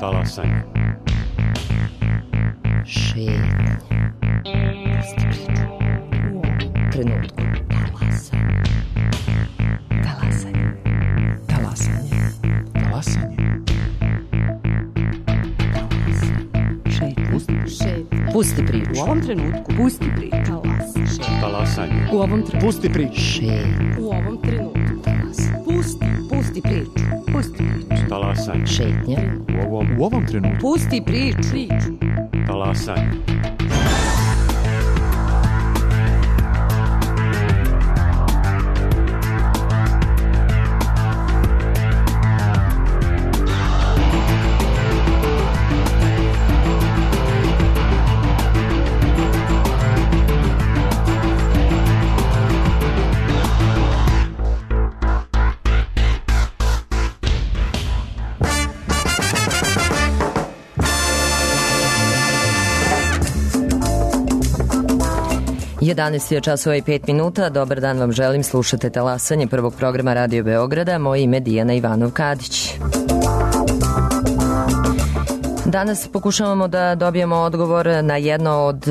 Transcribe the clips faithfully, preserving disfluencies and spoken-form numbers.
Talasanje. Šetnje. Pusti priču. U ovom trenutku. Talasanje. Talasanje. Talasanje. Talasanje. Šetnje. Pusti priču. U ovom trenutku. Pusti priču. Talasanje. U ovom trenutku. Pusti priču. Šetnje. U ovom trenutku. Pusti. Pusti priču. Pusti priču. Talasanje. Šetnje. U ovom, u ovom trenutku. Pusti priču. Priču. Talasanje. jedanaest je časova i pet minuta. Dobar dan vam želim. Slušate Talasanje prvog programa Radio Beograda. Moje ime Dijana Ivanov-Kadić. Danas pokušavamo da dobijemo odgovor na jedno od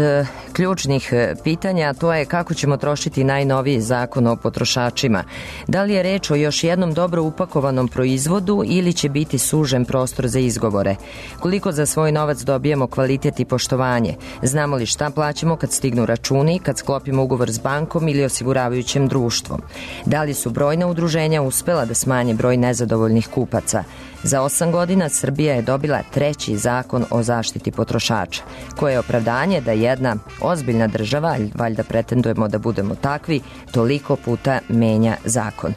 ključnih pitanja, a to je kako ćemo trošiti najnoviji zakon o potrošačima. Da li je reč o još jednom dobro upakovanom proizvodu ili će biti sužen prostor za izgovore? Koliko za svoj novac dobijemo kvalitet i poštovanje? Znamo li šta plaćamo kad stignu računi, kad sklopimo ugovor s bankom ili osiguravajućim društvom? Da li su brojna udruženja uspela da smanje broj nezadovoljnih kupaca? Za osam godina Srbija je dobila treći zakon o zaštiti potrošača, koje je opravdanje da jedna ozbiljna država, valjda pretendujemo da budemo takvi, toliko puta menja zakon.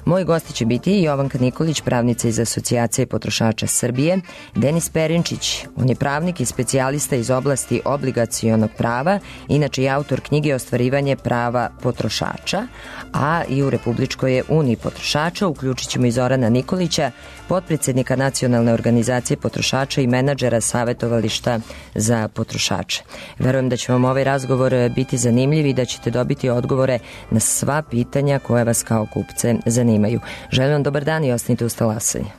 Moji gosti će biti Jovanka Nikolić, pravnica iz Asocijacije potrošača Srbije, Denis Perinčić, on je pravnik i specijalista iz oblasti obligacionog prava, inače i autor knjige Ostvarivanje prava potrošača, a i u Republičkoj uniji potrošača. Uključit ćemo i Zorana Nikolića, potpredsjednika Nacionalne organizacije potrošača i menadžera savjetovališta za potrošače. Verujem da će vam ovaj razgovor biti zanimljiv i da ćete dobiti odgovore na sva pitanja koje vas kao kupce zanimaju. Želim vam dobar dan i ostanite uz Talasanje.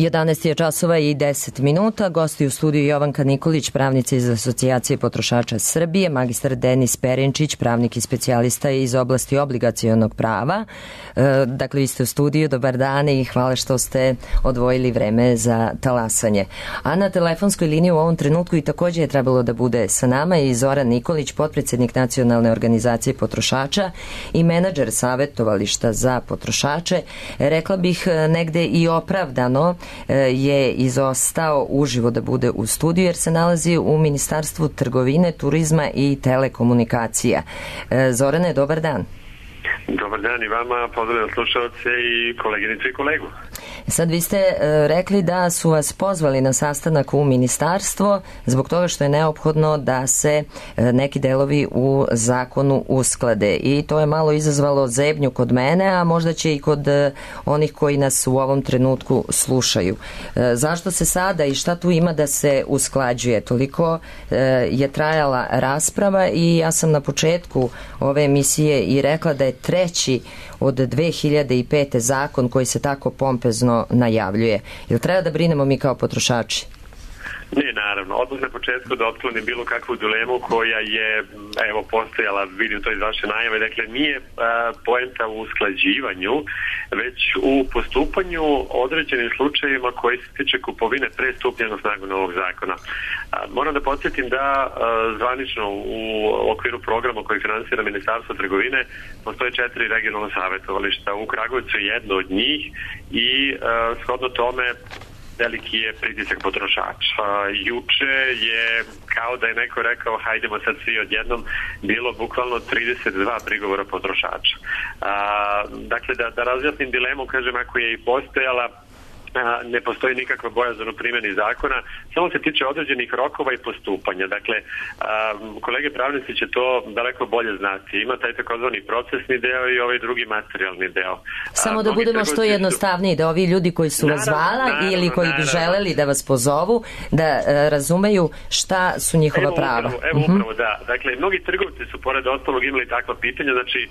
jedanaest je časova i deset minuta. Gosti u studiju Jovanka Nikolić, pravnica iz Asocijacije potrošača Srbije, magistar Denis Perinčić, pravnik i specijalista iz oblasti obligacionog prava. Dakle, vi ste u studiju, dobar dan i hvala što ste odvojili vreme za talasanje. A na telefonskoj liniji u ovom trenutku i takođe je trebalo da bude sa nama i Zoran Nikolić, potpredsednik Nacionalne organizacije potrošača i menadžer savjetovališta za potrošače. Rekla bih negde i opravdano je izostao uživo da bude u studiju jer se nalazi u Ministarstvu trgovine, turizma i telekomunikacija. Zorane, dobar dan. Dobar dan i vama, pozdravljam slušalce i koleginice i kolegu. Sad vi ste rekli da su vas pozvali na sastanak u ministarstvo zbog toga što je neophodno da se neki delovi u zakonu usklade i to je malo izazvalo zebnju kod mene, a možda će i kod onih koji nas u ovom trenutku slušaju. Zašto se sada i šta tu ima da se usklađuje? Toliko je trajala rasprava i ja sam na početku ove emisije i rekla da je treći od dve hiljade pete zakon koji se tako pompezno najavljuje. Jel treba da brinemo mi kao potrošači? Ne, naravno. Odmah na početku da otklonim bilo kakvu dilemu koja je, evo, postojala, vidim to iz vaše najave, dakle nije a, poenta u usklađivanju, već u postupanju određenim slučajevima koji se tiče kupovine pre stupnja na snagu novog zakona. A, moram da podsjetim da a, zvanično u okviru programa koji finansira Ministarstvo trgovine postoje četiri regionalna savjetovališta. U Kragujevcu je jedno od njih i a, shodno tome veliki je pritisak potrošača. Juče je, kao da je neko rekao, hajdemo sad svi odjednom, bilo bukvalno trideset dva prigovora potrošača. A, dakle, da, da razjasnim dilemu, kažem, ako je i postojala, ne postoji nikakva bojazan u primjeni zakona, samo se tiče određenih rokova i postupanja. Dakle, kolege pravnici će to daleko bolje znati. Ima taj takozvani procesni deo i ovaj drugi materijalni deo. Samo da budemo što jednostavniji, da ovi ljudi koji su vas zvala ili koji bi želeli da vas pozovu, da razumeju šta su njihova prava. Evo upravo, da. Dakle, mnogi trgovci su pored ostalog imali takva pitanja. Znači,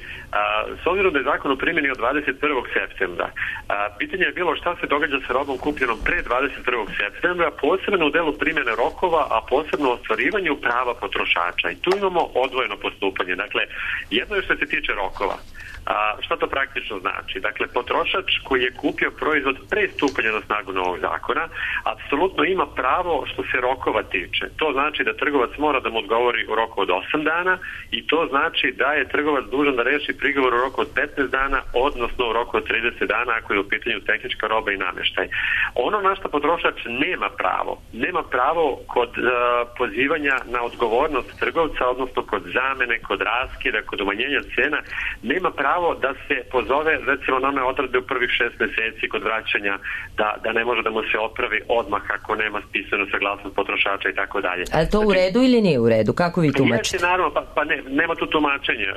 s obzirom da je zakon u primjeni od dvadeset prvog septembra, pitanje je bilo šta se događa sa robom kupljenom pre dvadeset prvog septembra, posebno u delu primjene rokova, a posebno u ostvarivanju prava potrošača. I tu imamo odvojeno postupanje. Dakle, jedno je što se tiče rokova. A, šta to praktično znači? Dakle, potrošač koji je kupio proizvod pre stupanja na snagu novog zakona, apsolutno ima pravo što se rokova tiče. To znači da trgovac mora da mu odgovori u roku od osam dana i to znači da je trgovac dužan da reši prigovor u roku od petnaest dana, odnosno u roku od trideset dana ako je u pitanju tehnička roba i namještaj. Ono na što potrošač nema pravo, nema pravo kod uh, pozivanja na odgovornost trgovca, odnosno kod zamene, kod raskida, kod umanjenja cena, nema pravo da se pozove recimo na one odredbe u prvih šest meseci kod vraćanja, da, da ne može da mu se opravi odmah ako nema spisanu saglasnost potrošača i tako dalje. Ali to u redu ili nije u redu? Kako vi tumačite? Jeste, naravno, pa, pa ne, nema tu tumačenja.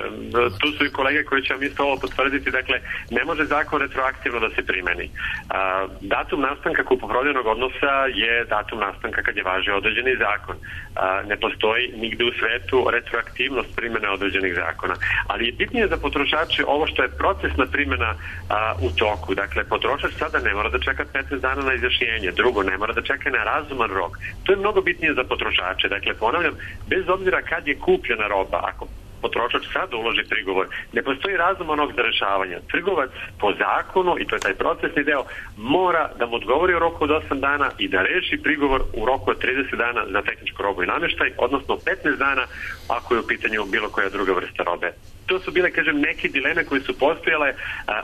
Tu su i kolege koji će vam isto ovo potvrditi. Dakle, ne može zakon retroaktivno da se primeni. A, datum nastanka kupoprodajnog odnosa je datum nastanka kad je važio određeni zakon. A, ne postoji nigde u svetu retroaktivnost primjene određenih zakona. Ali je bitnije za potrošače ovo što je procesna primjena a, u toku. Dakle, potrošač sada ne mora da čeka petnaest dana na izjašnjenje. Drugo, ne mora da čeka na razuman rok. To je mnogo bitnije za potrošače. Dakle, ponavljam, bez obzira kad je kupljena roba, ako potrošač sada uloži prigovor, ne postoji razuman rok za rešavanje. Trgovac po zakonu, i to je taj procesni deo, mora da mu odgovori u roku od osam dana i da reši prigovor u roku od trideset dana za tehničku robu i namještaj, odnosno petnaest dana ako je u pitanju bilo koja druga vrsta robe. To su bile, kažem, neke dileme koje su postojale.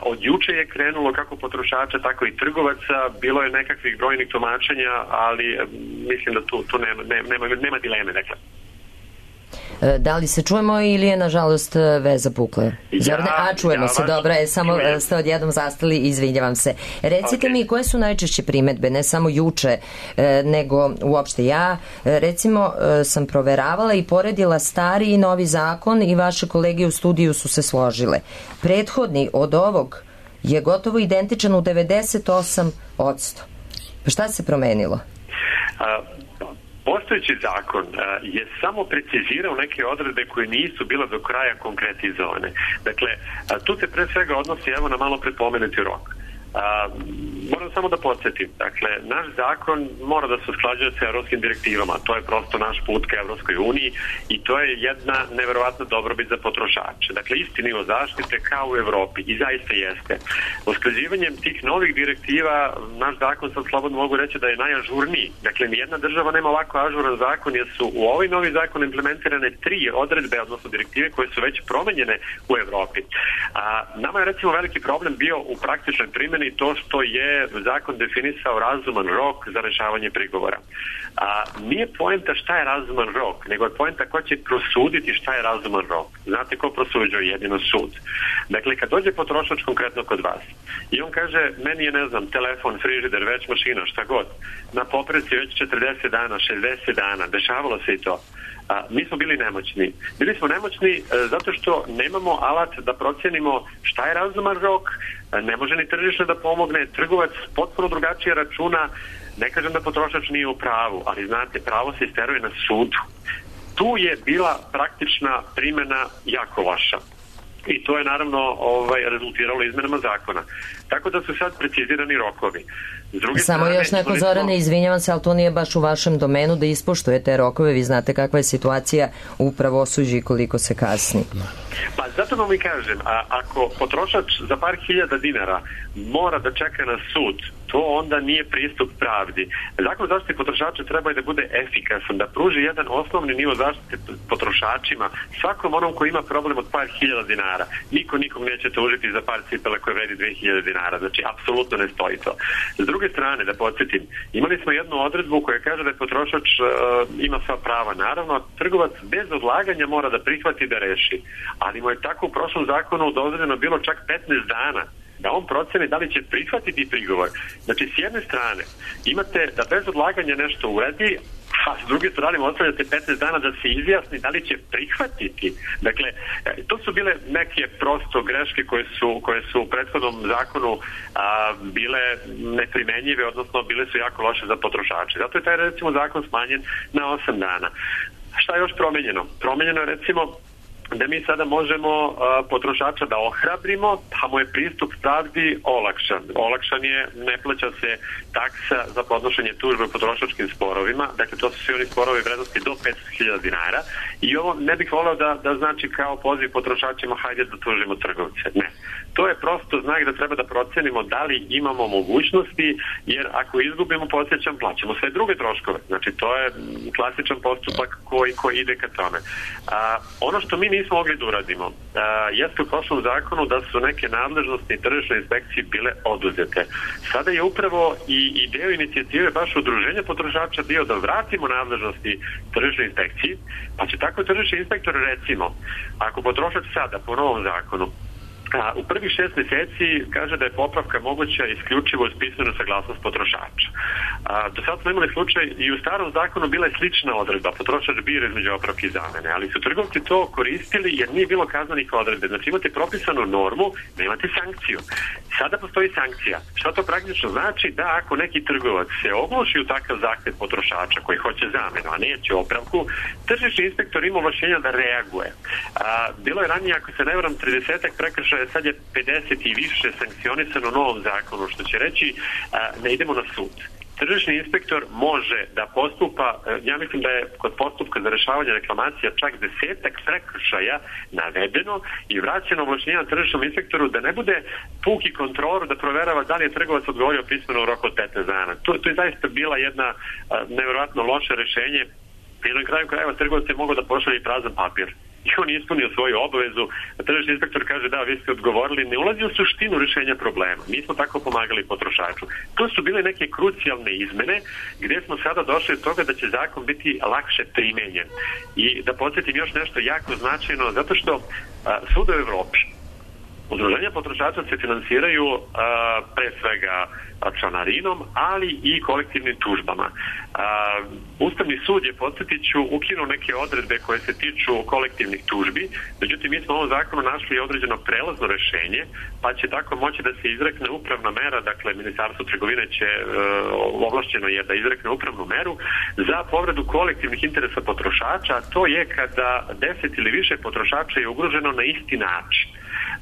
Od juče je krenulo kako potrošača, tako i trgovaca. Bilo je nekakvih brojnih tumačenja, ali mislim da tu, tu nema, nema, nema dileme, dakle. Da li se čujemo ili je nažalost veza pukla? Ja, a čujemo ja, se, dobro je, samo čujem. Ste odjednom zastali, izvinjavam se. Recite okay. mi koje su najčešće primedbe, ne samo juče, nego uopšte ja. Recimo sam proveravala i poredila stari i novi zakon i vaše kolege u studiju su se složile. Prethodni od ovog je gotovo identičan u devedeset osam posto. Pa šta se promenilo? A... Postojeći zakon uh, je samo precizirao neke odredbe koje nisu bile do kraja konkretizovane. Dakle, uh, tu se pre svega odnosi evo na malo prepomenuti rok. Uh, moram samo da podsjetim. Dakle, naš zakon mora da se usklađuje sa evropskim direktivama. To je prosto naš put ka Evropskoj uniji i to je jedna neverovatna dobrobit za potrošače. Dakle, isti nivo zaštite kao u Evropi i zaista jeste. Usklađivanjem tih novih direktiva, naš zakon, sad slobodno mogu reći da je najažurniji. Dakle, nijedna država nema ovako ažuran zakon jer su u ovaj novi zakon implementirane tri odredbe, odnosno direktive koje su već promenjene u Evropi. A, nama je recimo veliki problem bio u praktičnoj primjeni to što je zakon definisao razuman rok za rešavanje prigovora. A, nije poenta šta je razuman rok, nego je poenta ko će prosuditi šta je razuman rok. Znate ko prosuđuje? Jedino sud. Dakle, kad dođe potrošač konkretno kod vas i on kaže, meni je, ne znam, telefon, frižider, već mašina, šta god, na popreci već četrdeset dana, šezdeset dana, dešavalo se i to. A, mi smo bili nemoćni. Bili smo nemoćni e, zato što nemamo alat da procenimo šta je razuman rok, e, ne može ni tržište da pomogne, trgovac potpuno drugačije računa, ne kažem da potrošač nije u pravu, ali znate, pravo se isteruje na sudu. Tu je bila praktična primjena jako loša. I to je naravno ovaj, rezultiralo izmenama zakona. Tako da su sad precizirani rokovi. Samo strane, još neko, Zorane, izvinjavam se, ali to nije baš u vašem domenu da ispoštujete rokove. Vi znate kakva je situacija u pravosuđu i koliko se kasni. Pa zato vam i kažem, a, ako potrošač za par hiljada dinara mora da čeka na sud, to onda nije pristup pravdi. Zakon o zaštiti potrošača treba da bude efikasan, da pruži jedan osnovni nivo zaštite potrošačima, svakom onom koji ima problem od par hiljada dinara. Niko nikom neće tužiti za par cipela koje vredi dve hiljade dinara. Znači, apsolutno ne stoji to. S druge strane, da podsjetim, imali smo jednu odredbu koja kaže da je potrošač uh, ima sva prava. Naravno, trgovac bez odlaganja mora da prihvati da reši. Ali mu je tako u prošlom zakonu dozvoljeno bilo čak petnaest dana da on proceni da li će prihvatiti prigovor. Znači, s jedne strane, imate da bez odlaganja nešto uredi, a s druge strane ostavljate petnaest dana da se izjasni da li će prihvatiti. Dakle, to su bile neke prosto greške koje su, koje su u prethodnom zakonu a, bile neprimenjive, odnosno bile su jako loše za potrošače. Zato je taj, recimo, zakon smanjen na osam dana. Šta je još promenjeno? Promenjeno je, recimo, da mi sada možemo uh, potrošača da ohrabrimo, pa mu je pristup pravdi olakšan. Olakšan je, ne plaća se taksa za podnošenje tužbe u potrošačkim sporovima, dakle to su svi oni sporovi vrednosti do petsto hiljada dinara i ovo ne bih voleo da, da znači kao poziv potrošačima hajde da tužimo trgovce. Ne. To je prosto znak da treba da procenimo da li imamo mogućnosti, jer ako izgubimo, podsjećam, plaćamo sve druge troškove. Znači to je klasičan postupak koji, koji ide ka tome. A, ono što mi nismo mogli da uradimo a, jeste u prošlom zakonu da su neke nadležnosti tržišne inspekcije bile oduzete. Sada je upravo i, i deo inicijative baš udruženja potrošača bio da vratimo nadležnosti tržišne inspekcije, pa će tako tržišni inspektor, recimo, ako potrošač sada po novom zakonu A, u prvih šest mjeseci kaže da je popravka moguća isključivo uz pismenu saglasnost potrošača. A, do sad smo imali slučaj i u starom zakonu bila je slična odredba, potrošač bira između opravke i zamene, ali su trgovci to koristili jer nije bilo kaznenih odredbe. Znači imate propisanu normu, nemate sankciju. Sada postoji sankcija. Šta to praktično znači? Da ako neki trgovac se ogluši u takav zahtev potrošača koji hoće zamenu, a neće opravku, tržišni inspektor ima ovlašćenja da reaguje. A, bilo je ranije, ako se ne varam, tridesetak prekršaja, sad je pedeset i više sankcionisano u novom zakonu, što će reći a, ne idemo na sud. Tržišni inspektor može da postupa, ja mislim da je kod postupka za rešavanje reklamacija čak desetak prekršaja navedeno i vraćeno ovlašćenja tržišnom inspektoru da ne bude puki kontrolor da proverava da li je trgovac odgovorio pismeno u roku od petnaest dana. To, to je zaista bila jedna nevjerojatno loše rešenje. I na kraju krajeva trgovac je mogao da pošalje prazan papir. I on je ispunio svoju obavezu, a tržišni inspektor kaže da, vi ste odgovorili, ne ulazi u suštinu rješenja problema. Mi smo tako pomagali potrošaču. To su bile neke krucijalne izmene gdje smo sada došli od toga da će zakon biti lakše primenjen. I da podsjetim još nešto jako značajno, zato što a, svuda u Evropi udruženja potrošača se finansiraju a, pre svega članarinom, ali i kolektivnim tužbama. A, Ustavni sud je, podsjetit ću, ukinuo neke odredbe koje se tiču kolektivnih tužbi, međutim mi smo u ovom zakonu našli određeno prelazno rešenje, pa će tako moći da se izrekne upravna mera, dakle Ministarstvo trgovine će e, ovlašćeno je da izrekne upravnu meru za povredu kolektivnih interesa potrošača, a to je kada deset ili više potrošača je ugroženo na isti način.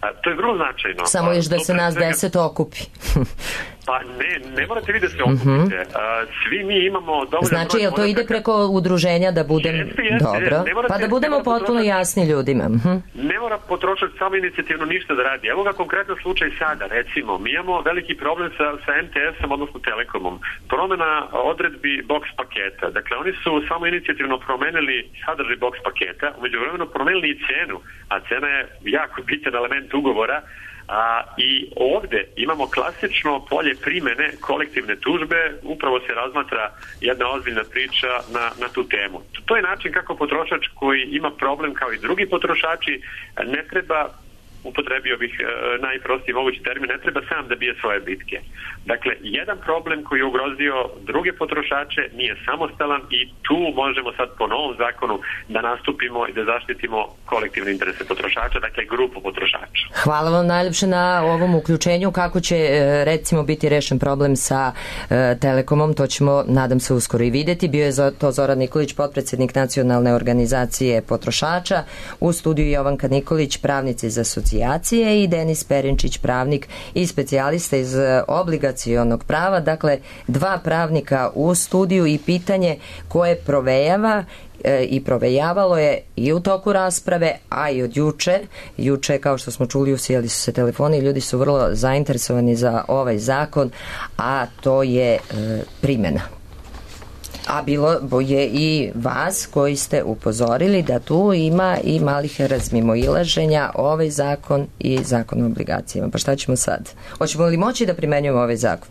A, to je vrlo značajno. Samo još da se nas svega... deset okupi. Pa ne, ne morate vi da se okupite. Uh, svi mi imamo dovoljno... Znači, jel to ide preko udruženja da budem... Jeste, jeste, dobro, morate, pa da budemo potpuno jasni ljudima. Uh-huh. Ne mora potrošač samo inicijativno ništa da radi. Evo ga konkretan slučaj sada, recimo, mi imamo veliki problem sa, sa em te esom, odnosno Telekomom. Promena odredbi box paketa. Dakle, oni su samo inicijativno promenili sadržaj box paketa, umeđu vremenu promenili i cenu, a cena je jako bitan element ugovora. A, i ovde imamo klasično polje primene kolektivne tužbe, upravo se razmatra jedna ozbiljna priča na, na tu temu. To je način kako potrošač koji ima problem kao i drugi potrošači ne treba, upotrebio bih e, najprostiji mogući termin, ne treba sam da bije svoje bitke. Dakle, jedan problem koji je ugrozio druge potrošače nije samostalan i tu možemo sad po novom zakonu da nastupimo i da zaštitimo kolektivne interese potrošača, dakle grupu potrošača. Hvala vam najljepše na ovom uključenju. Kako će recimo biti rešen problem sa e, Telekomom, to ćemo, nadam se, uskoro i videti. Bio je to Zoran Nikolić, potpredsednik Nacionalne organizacije potrošača, u studiju Jovanka Nikolić, pravnica iz asocijacije, i Denis Perinčić, pravnik i specijalista iz obligacionog prava. Dakle, dva pravnika u studiju i pitanje koje provejava e, i provejavalo je i u toku rasprave, a i od juče. Juče, kao što smo čuli, usijali su se telefoni i ljudi su vrlo zainteresovani za ovaj zakon, a to je e, primjena. A bilo je i vas koji ste upozorili da tu ima i malih razmimoilaženja, ovaj zakon i zakon o obligacijama. Pa šta ćemo sad? Hoćemo li moći da primenjujemo ovaj zakon?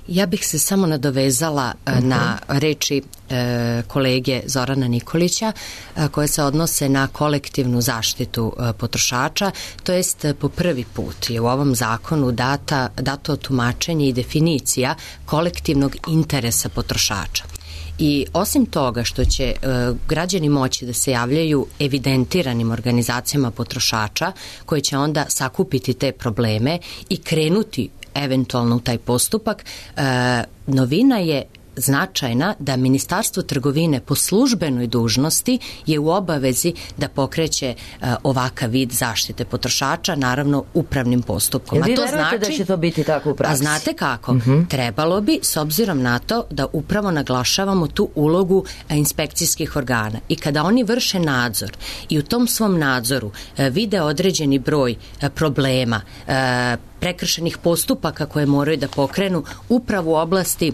Ja bih se samo nadovezala uh-huh. na reči e, kolege Zorana Nikolića e, koje se odnose na kolektivnu zaštitu e, potrošača, to jest po prvi put je u ovom zakonu data, dato tumačenje i definicija kolektivnog interesa potrošača. I osim toga što će e, građani moći da se javljaju evidentiranim organizacijama potrošača koje će onda sakupiti te probleme i krenuti eventualno u taj postupak, e, novina je značajna da Ministarstvo trgovine po službenoj dužnosti je u obavezi da pokreće e, ovakav vid zaštite potrošača, naravno upravnim postupkom. Jel vi verujete znači, da će to biti tako u praksi? A znate kako? Uh-huh. Trebalo bi, s obzirom na to da upravo naglašavamo tu ulogu e, inspekcijskih organa i kada oni vrše nadzor i u tom svom nadzoru e, vide određeni broj e, problema, e, prekršenih postupaka koje moraju da pokrenu upravo u oblasti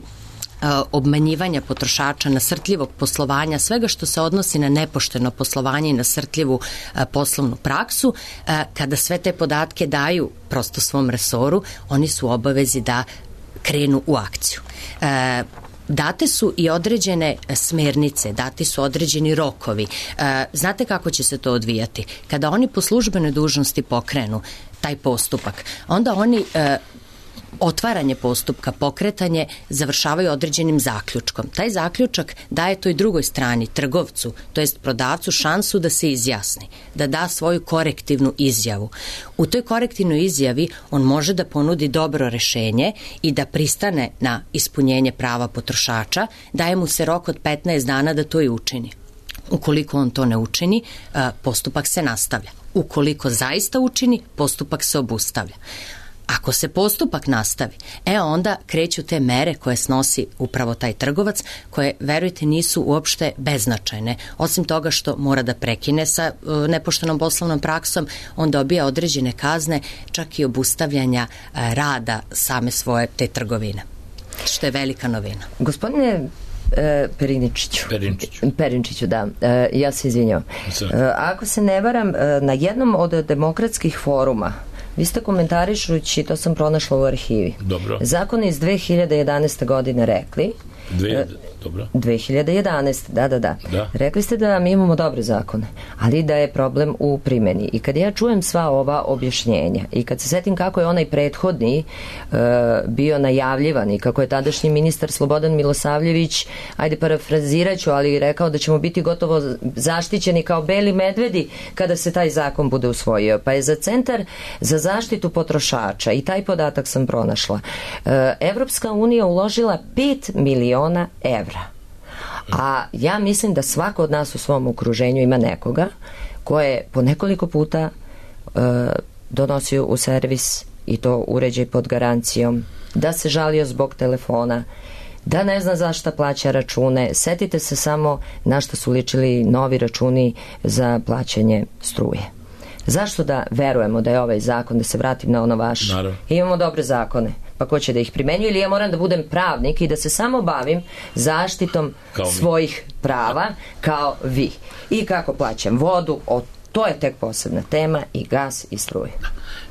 obmanjivanja potrošača, nasrtljivog poslovanja, svega što se odnosi na nepošteno poslovanje i nasrtljivu poslovnu praksu, kada sve te podatke daju prosto svom resoru, oni su u obavezi da krenu u akciju. Date su i određene smernice, dati su određeni rokovi. Znate kako će se to odvijati? Kada oni po službenoj dužnosti pokrenu taj postupak, onda oni otvaranje postupka, pokretanje završavaju određenim zaključkom. Taj zaključak daje toj drugoj strani, trgovcu, to jest prodavcu, šansu da se izjasni, da da svoju korektivnu izjavu. U toj korektivnoj izjavi on može da ponudi dobro rešenje i da pristane na ispunjenje prava potrošača, daje mu se rok od petnaest dana da to i učini. Ukoliko on to ne učini, postupak se nastavlja. Ukoliko zaista učini, postupak se obustavlja. Ako se postupak nastavi, e onda kreću te mere koje snosi upravo taj trgovac, koje, verujte, nisu uopšte beznačajne. Osim toga što mora da prekine sa uh, nepoštenom poslovnom praksom, on dobija određene kazne, čak i obustavljanja uh, rada same svoje te trgovine, što je velika novina. Gospodine E, Periničiću. Perinčiću. Perinčiću, da. E, ja se izvinjam. E, ako se ne varam, e, na jednom od demokratskih foruma vi ste komentarišući, to sam pronašla u arhivi, dobro, zakon iz dve hiljade jedanaeste godine rekli, Dve, dobro. dve hiljade jedanaeste da, da, da, da. Rekli ste da mi imamo dobre zakone, ali da je problem u primjeni. I kad ja čujem sva ova objašnjenja i kad se setim kako je onaj prethodni uh, bio najavljivan i kako je tadašnji ministar Slobodan Milosavljević, ajde parafraziraću, ali rekao da ćemo biti gotovo zaštićeni kao beli medvedi kada se taj zakon bude usvojio. Pa je za Centar za zaštitu potrošača, i taj podatak sam pronašla, uh, Evropska unija uložila pet miliona evra. A ja mislim da svako od nas u svom okruženju ima nekoga ko je po nekoliko puta uh, donosio u servis, i to uređaj pod garancijom, da se žalio zbog telefona, da ne zna zašto plaća račune. Setite se samo na što su ličili novi računi za plaćanje struje. Zašto da verujemo da je ovaj zakon, da se vratim na ono vaše? Naravno. Imamo dobre zakone, pa ko će da ih primenjuje, ili ja moram da budem pravnik i da se samo bavim zaštitom svojih prava kao vi. I kako plaćam vodu, o, to je tek posebna tema, i gas i struje.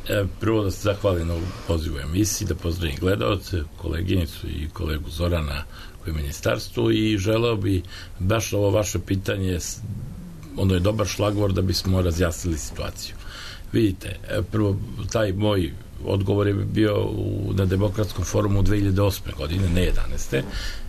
E, prvo da se zahvalim na ovu pozivu emisiji, da pozdravim gledalce, koleginicu i kolegu Zorana koji je u ministarstvu, i želeo bi baš ovo vaše pitanje, ono je dobar šlagvor da bismo razjasnili situaciju. Vidite, prvo, taj moj odgovor je bio u, na Demokratskom forumu u dve hiljade osme godine, ne jedanaeste,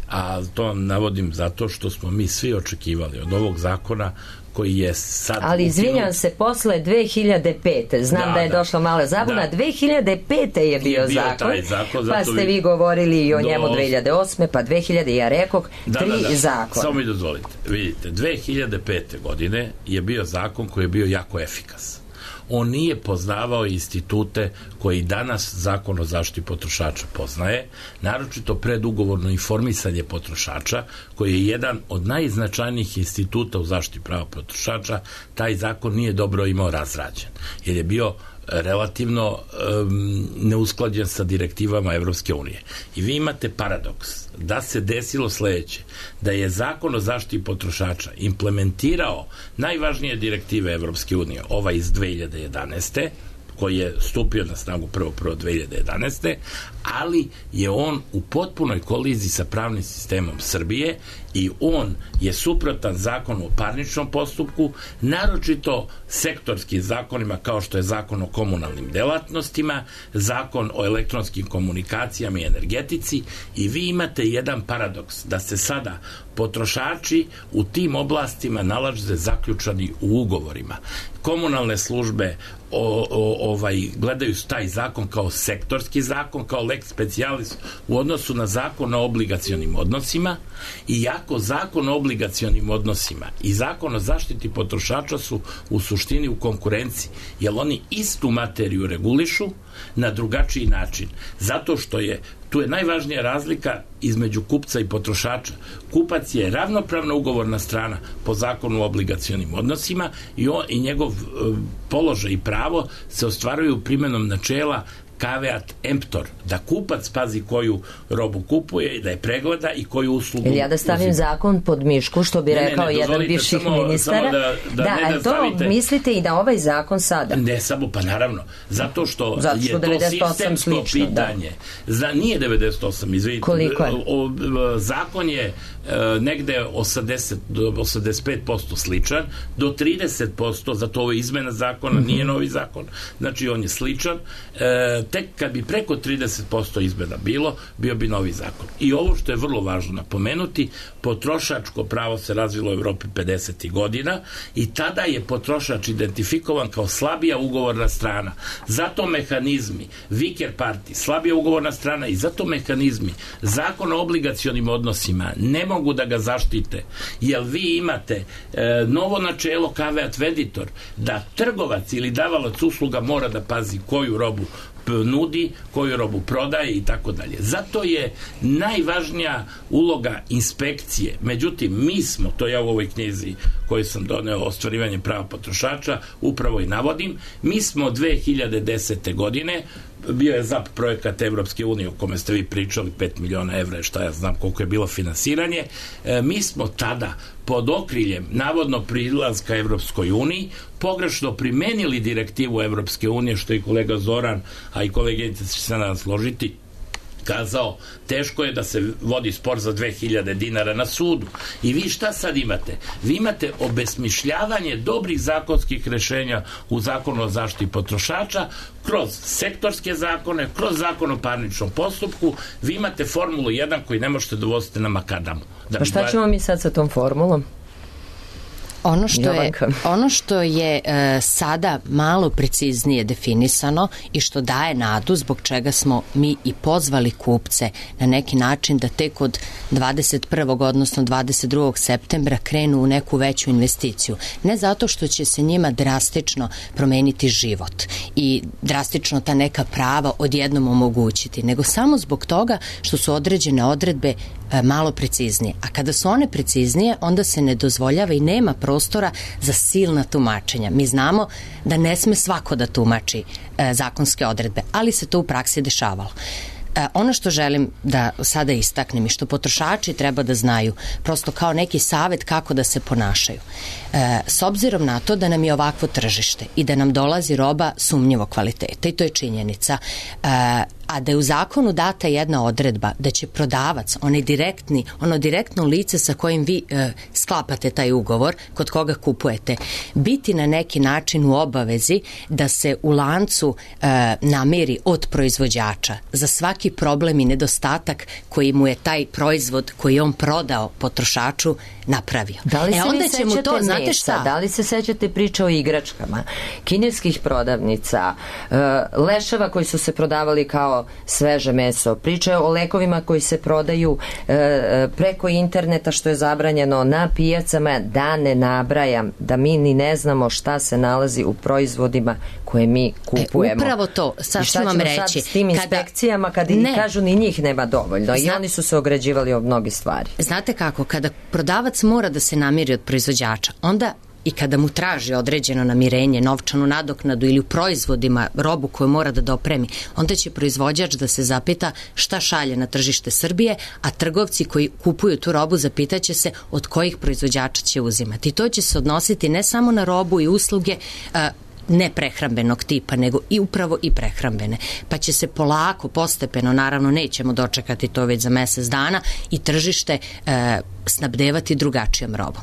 a to navodim zato što smo mi svi očekivali od ovog zakona koji je sad... Ali izvinjam se, posle dve hiljade pete, znam da, da je da, došla mala zabuna, da. dve hiljade pete je bio, je bio zakon, zakon pa ste vi govorili i o do... njemu dve hiljade osme, pa dve hiljade, ja rekoh, da, tri da, da. zakona. Samo mi dozvolite, vidite, dve hiljade pete godine je bio zakon koji je bio jako efikasan. On nije poznavao institute koji danas Zakon o zaštiti potrošača poznaje, naročito predugovorno informisanje potrošača, koji je jedan od najznačajnijih instituta u zaštiti prava potrošača. Taj zakon nije dobro imao razrađen, jer je bio relativno um, neusklađen sa direktivama Evropske unije. I vi imate paradoks da se desilo sledeće, da je Zakon o zaštiti potrošača implementirao najvažnije direktive Evropske unije, ova iz dve hiljade jedanaeste, koji je stupio na snagu prvog prvog dve hiljade jedanaeste, ali je on u potpunoj koliziji sa pravnim sistemom Srbije i on je suprotan zakonu o parničnom postupku, naročito sektorskim zakonima kao što je Zakon o komunalnim delatnostima, Zakon o elektronskim komunikacijama i energetici, i vi imate jedan paradoks da se sada potrošači u tim oblastima nalaze zaključani u ugovorima. Komunalne službe o, o, ovaj, gledaju taj zakon kao sektorski zakon, kao lex specialis u odnosu na zakon o obligacionim odnosima, i jako zakon o obligacionim odnosima i zakon o zaštiti potrošača su u suštini u konkurenciji, jer oni istu materiju regulišu na drugačiji način. Zato što je tu je najvažnija razlika između kupca i potrošača. Kupac je ravnopravna ugovorna strana po zakonu o obligacionim odnosima i, on, i njegov e, položaj i pravo se ostvaruju primjenom načela caveat emptor, da kupac pazi koju robu kupuje i da je pregleda i koju uslugu... Ili ja da stavim uzim. zakon pod mišku, što bi ne, rekao ne, ne, jedan bivših samo, ministara. Samo da, da, da, ne da to stavite, mislite i da ovaj zakon sada? Ne samo, pa naravno. Zato što, zato što je to sistemsko slično, pitanje. Da. Za, nije devedeset osam, izvidite. Koliko je? O, o, zakon je e, negde osamdeset do osamdeset pet posto sličan, do trideset posto, zato ovo je izmena zakona, mm-hmm. nije novi zakon. Znači, on je sličan. E, tek kad bi preko trideset posto izmena bilo, bio bi novi zakon. I ovo što je vrlo važno napomenuti, potrošačko pravo se razvilo u Evropi pedesetih godina i tada je potrošač identifikovan kao slabija ugovorna strana. Zato mehanizmi Vicker Party, slabija ugovorna strana, i zato mehanizmi Zakon o obligacionim odnosima ne mogu da ga zaštite, jer vi imate e, novo načelo caveat venditor, da trgovac ili davalac usluga mora da pazi koju robu nudi, koju robu prodaje i tako dalje. Zato je najvažnija uloga inspekcije. Međutim, mi smo, to ja u ovoj knjizi koju sam doneo o ostvarivanju prava potrošača upravo i navodim, mi smo dve hiljade desete godine, bio je Z A P projekat Evropske unije o kome ste vi pričali, pet miliona evra, šta ja znam koliko je bilo finansiranje, e, mi smo tada pod okriljem navodno prilaska Evropskoj uniji pogrešno primenili direktivu Evropske unije, što je kolega Zoran, a i koleginica će se nadam složiti, kazao, teško je da se vodi spor za dve hiljade dinara na sudu. I vi šta sad imate? Vi imate obesmišljavanje dobrih zakonskih rešenja u Zakonu o zaštiti potrošača kroz sektorske zakone, kroz zakon o parničnom postupku. Vi imate formulu jedan koji ne možete dovoziti na makadamu. Da, pa šta ćemo mi sad sa tom formulom? Ono što je, ono što je e, sada malo preciznije definisano i što daje nadu, zbog čega smo mi i pozvali kupce na neki način da tek od dvadeset prvog odnosno dvadeset drugog septembra krenu u neku veću investiciju. Ne zato što će se njima drastično promeniti život i drastično ta neka prava odjednom omogućiti, nego samo zbog toga što su određene odredbe e, malo preciznije. A kada su one preciznije, onda se ne dozvoljava i nema prostora za silna tumačenja. Mi znamo da ne sme svako da tumači e, zakonske odredbe, ali se to u praksi dešavalo. E, ono što želim da sada istaknem i što potrošači treba da znaju, prosto kao neki savet kako da se ponašaju. E, s obzirom na to da nam je ovakvo tržište i da nam dolazi roba sumnjivog kvaliteta, i to je činjenica, e, a da je u zakonu data jedna odredba da će prodavac, onaj direktni, ono direktno lice sa kojim vi e, sklapate taj ugovor, kod koga kupujete, biti na neki način u obavezi da se u lancu e, namiri od proizvođača za svaki problem i nedostatak koji mu je taj proizvod koji je on prodao potrošaču napravio. Da li se e, onda vi će mu to, znate šta? Da li se sećate priče o igračkama, kineskih prodavnica, e, leševa koji su se prodavali kao sveže meso, priče o lekovima koji se prodaju e, preko interneta što je zabranjeno na pijacama, da ne nabrajam, da mi ni ne znamo šta se nalazi u proizvodima koje mi kupujemo. E, upravo to, sad ću vam reći. Sad s tim inspekcijama kada i kažu ni njih nema dovoljno. Zna, i oni su se ograđivali od mnogi stvari. Znate kako, kada prodavac mora da se namiri od proizvođača, onda i kada mu traži određeno namirenje, novčanu nadoknadu ili u proizvodima robu koju mora da dopremi, onda će proizvođač da se zapita šta šalje na tržište Srbije, a trgovci koji kupuju tu robu zapitaće se od kojih proizvođača će uzimati. I to će se odnositi ne samo na robu i usluge a, ne prehrambenog tipa, nego i upravo i prehrambene. Pa će se polako, postepeno, naravno nećemo dočekati to već za mesec dana, i tržište e, snabdevati drugačijom robom.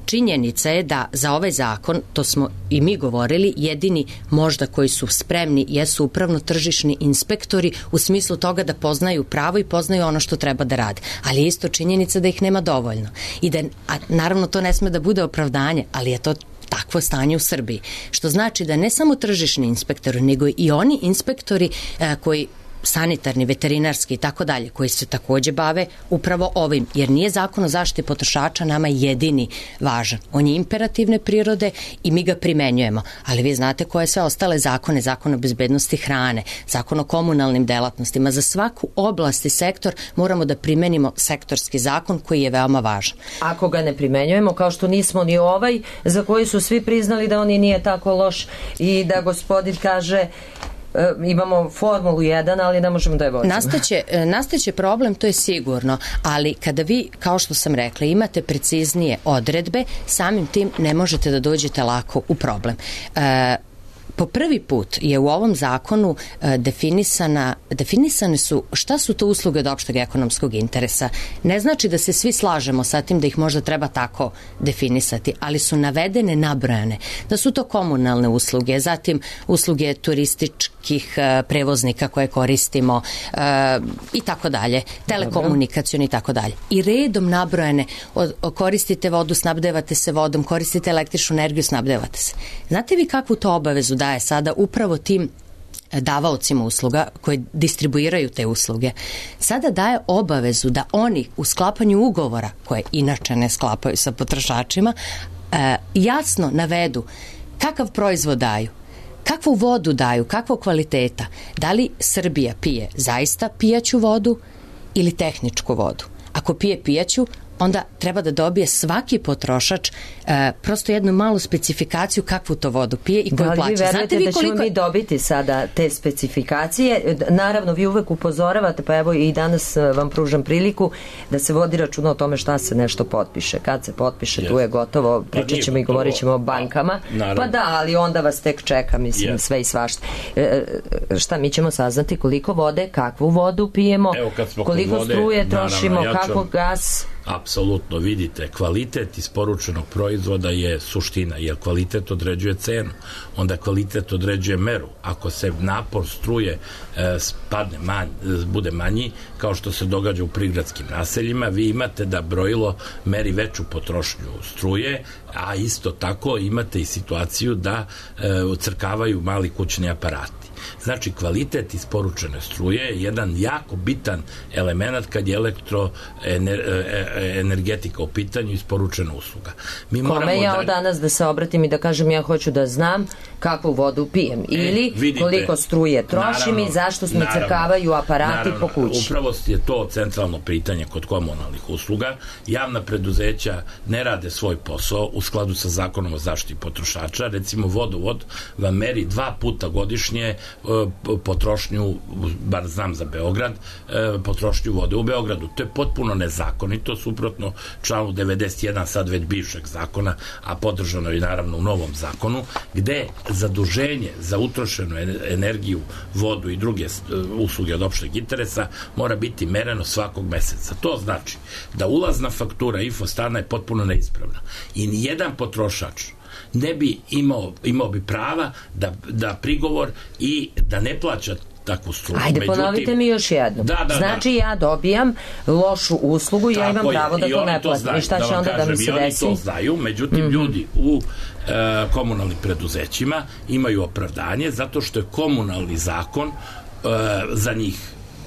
Činjenica je da za ovaj zakon, to smo i mi govorili, jedini možda koji su spremni jesu upravno-tržišni inspektori u smislu toga da poznaju pravo i poznaju ono što treba da rade. Ali je isto činjenica da ih nema dovoljno. I da, a naravno to ne sme da bude opravdanje, ali je to takvo stanje u Srbiji. Što znači da ne samo tržišni inspektori, nego i oni inspektori e, koji sanitarni, veterinarski i tako dalje, koji se takođe bave upravo ovim, jer nije zakon o zaštiti potrošača nama jedini važan. On je imperativne prirode i mi ga primenjujemo, ali vi znate koje sve ostale zakone, zakon o bezbednosti hrane, zakon o komunalnim delatnostima, za svaku oblast i sektor moramo da primenimo sektorski zakon koji je veoma važan. Ako ga ne primenjujemo, kao što nismo ni ovaj, za koji su svi priznali da on i nije tako loš i da gospodin kaže imamo formulu jedan, ali ne možemo da je vodimo. Nastaće, nastaće problem, to je sigurno, ali kada vi, kao što sam rekla, imate preciznije odredbe, samim tim ne možete da dođete lako u problem. E, po prvi put je u ovom zakonu e, definisana, definisane su šta su to usluge od opšteg ekonomskog interesa. Ne znači da se svi slažemo sa tim da ih možda treba tako definisati, ali su navedene, nabrojane, da su to komunalne usluge, zatim usluge turističkih e, prevoznika koje koristimo e, i tako dalje, telekomunikacioni i tako dalje. I redom nabrojane, od, koristite vodu, snabdevate se vodom, koristite električnu energiju, snabdevate se. Znate vi kakvu to obavezu daje sada upravo tim davaocima usluga koji distribuiraju te usluge? Sada daje obavezu da oni u sklapanju ugovora, koje inače ne sklapaju sa potrošačima, jasno navedu kakav proizvod daju, kakvu vodu daju, kakvog kvaliteta, da li Srbija pije zaista pijaću vodu ili tehničku vodu. Ako pije pijaću, onda treba da dobije svaki potrošač e, prosto jednu malu specifikaciju kakvu to vodu pije i koju plaća. Da li vi verujete da ćemo mi dobiti sada te specifikacije? Naravno, vi uvek upozoravate, pa evo i danas vam pružam priliku da se vodi računa o tome šta se nešto potpiše. Kad se potpiše, yes. Tu je gotovo, pričat ćemo pa i govorit ćemo o bankama. Pa, pa da, ali onda vas tek čeka, mislim, yes. Sve i svašta. E, šta, mi ćemo saznati koliko vode, kakvu vodu pijemo, evo, kad smo koliko vode, struje trošimo, naravno, ja kako gas... Apsolutno, vidite, kvalitet isporučenog proizvoda je suština, jer kvalitet određuje cenu, onda kvalitet određuje meru. Ako se napor struje e, spadne manj, bude manji, kao što se događa u prigradskim naseljima, vi imate da brojilo meri veću potrošnju struje, a isto tako imate i situaciju da e, crkavaju mali kućni aparati. Znači, kvalitet isporučene struje je jedan jako bitan element kad je elektroenergetika u pitanju, isporučena usluga. Mi Kome ja od danas da se obratim i da kažem ja hoću da znam kakvu vodu pijem ili e, vidite, koliko struje trošim i zašto mi crkavaju aparati naravno, po kući. Upravo je to centralno pitanje kod komunalnih usluga. Javna preduzeća ne rade svoj posao u skladu sa zakonom o zaštiti potrošača. Recimo, vodovod vam meri dva puta godišnje potrošnju, bar znam za Beograd, potrošnju vode u Beogradu. To je potpuno nezakonito, suprotno članu devedeset jedan sad već bivšeg zakona, a podržano je naravno u novom zakonu, gde zaduženje za utrošenu energiju, vodu i druge usluge od opšteg interesa mora biti mereno svakog meseca. To znači da ulazna faktura infostana je potpuno neispravna i nijedan potrošač ne bi imao, imao bi prava da, da prigovor i da ne plaća takvu struju. Ajde, međutim, ponovite mi još jednom. Da, da, znači da. Ja dobijam lošu uslugu i ja imam pravo da to ne platim. I šta će da onda kažem, da mi se desi? Oni to znaju, međutim, mm-hmm. ljudi u e, komunalnim preduzećima imaju opravdanje zato što je komunalni zakon e, za njih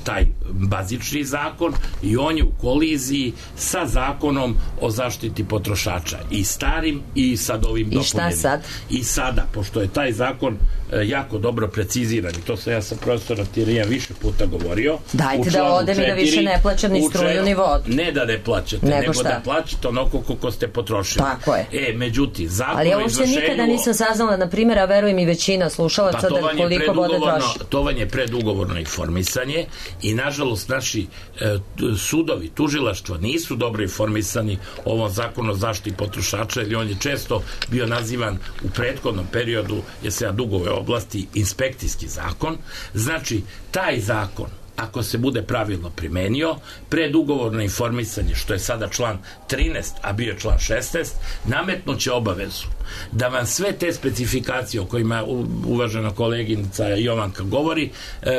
taj bazični zakon i on je u koliziji sa zakonom o zaštiti potrošača i starim i sad ovim dopunjenim. I šta sad? I sada, pošto je taj zakon jako dobro preciziran i to sam ja sa profesora Tirija više puta govorio. Dajte da odem i da više ne plaćam ni struju ni vodu. Ne da ne plaćate, nego, nego da plaćate onako koliko ste potrošili. Tako je. E, međutim, zakon ali ja uopšte izvršenju... nikada nisam saznala, na primjer, a verujem i većina slušalaca pa da koliko vode troši. To vam je predugovorno informisanje i nažalost naši e, sudovi, tužilaštva nisu dobro informisani o ovom zakonu o zaštiti potrošača, jer on je često bio nazivan u prethodnom periodu, jer se ja dugove oblasti inspekcijski zakon. Znači, taj zakon, ako se bude pravilno primenio, predugovorno informisanje, što je sada član trinaest, a bio je član šesnaest, nametnuće obavezu da vam sve te specifikacije o kojima uvažena koleginica Jovanka govori,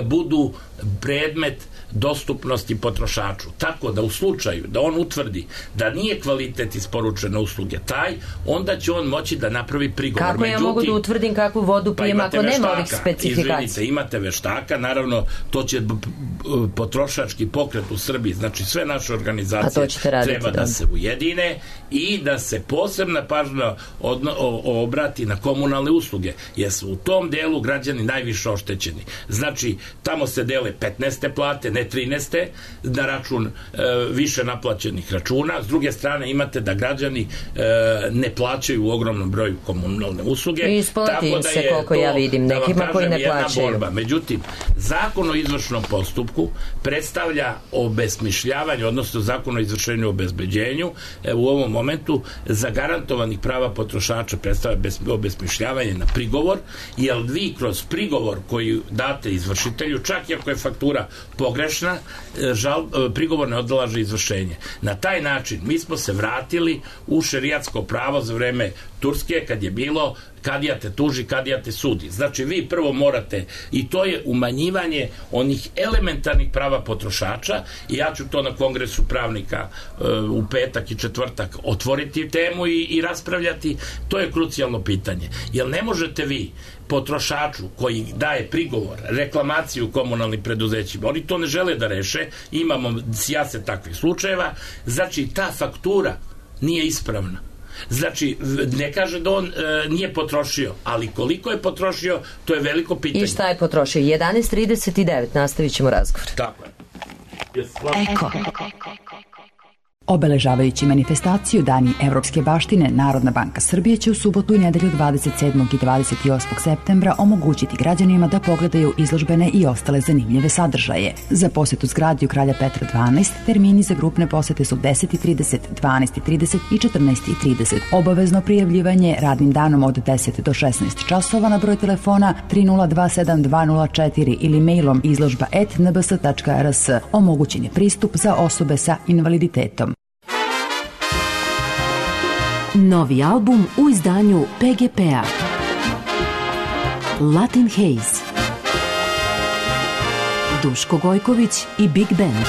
budu predmet dostupnosti potrošaču. Tako da u slučaju da on utvrdi da nije kvalitet isporučene usluge taj, onda će on moći da napravi prigovor. Kako Međutim, ja mogu da utvrdim kakvu vodu pijem pa ako veštaka, nema ovih specifikacija? Izvinite, imate veštaka, naravno to će potrošački pokret u Srbiji, znači sve naše organizacije treba da se ujedine i da se posebna pažnja odno, o, obrati na komunalne usluge, jer su u tom delu građani najviše oštećeni. Znači, tamo se dele petnaeste plate, ne trinaeste, na račun e, više naplaćenih računa. S druge strane imate da građani e, ne plaćaju u ogromnom broju komunalne usluge. I isplati im se koliko ja vidim, nekima da koji ne plaćaju. Borba. Međutim, zakon o izvršnom postupku predstavlja obesmišljavanje, odnosno zakon o izvršenju i obezbeđenju e, u ovom momentu zagarantovanih prava potrošača predstavlja obesmišljavanje na prigovor, jer vi kroz prigovor koji date izvršitelju, čak i ako je faktura pogrešna, žal, prigovor ne odlaže izvršenje. Na taj način mi smo se vratili u šerijatsko pravo za vreme Turske, kad je bilo kadija te tuži, kadija te sudi. Znači, vi prvo morate, i to je umanjivanje onih elementarnih prava potrošača, i ja ću to na kongresu pravnika uh, u petak i četvrtak otvoriti temu i, i raspravljati. To je krucijalno pitanje. Jer ne možete vi potrošaču koji daje prigovor, reklamaciju komunalnim preduzećima, oni to ne žele da reše, imamo sjase takvih slučajeva, znači ta faktura nije ispravna. Znači, ne kaže da on e, nije potrošio, ali koliko je potrošio, to je veliko pitanje. I šta je potrošio? jedanaest trideset devet, nastavit ćemo razgovor. Tako je. Eko. Obeležavajući manifestaciju Dani evropske baštine, Narodna banka Srbije će u subotu i nedelju dvadeset sedmog i dvadeset osmog septembra omogućiti građanima da pogledaju izložbene i ostale zanimljive sadržaje. Za posetu zgradi u Kralja Petra dvanaest termini za grupne posete su deset i trideset, dvanaest i trideset i četrnaest i trideset. Obavezno prijavljivanje radnim danom od deset do šesnaest časova na broj telefona tri nula dva sedam dva nula četiri ili mailom izložba et n b s tačka r s. Omogućen je pristup za osobe sa invaliditetom. Novi album u izdanju P G P-a. Latin Haze. Duško Gojković i Big Band.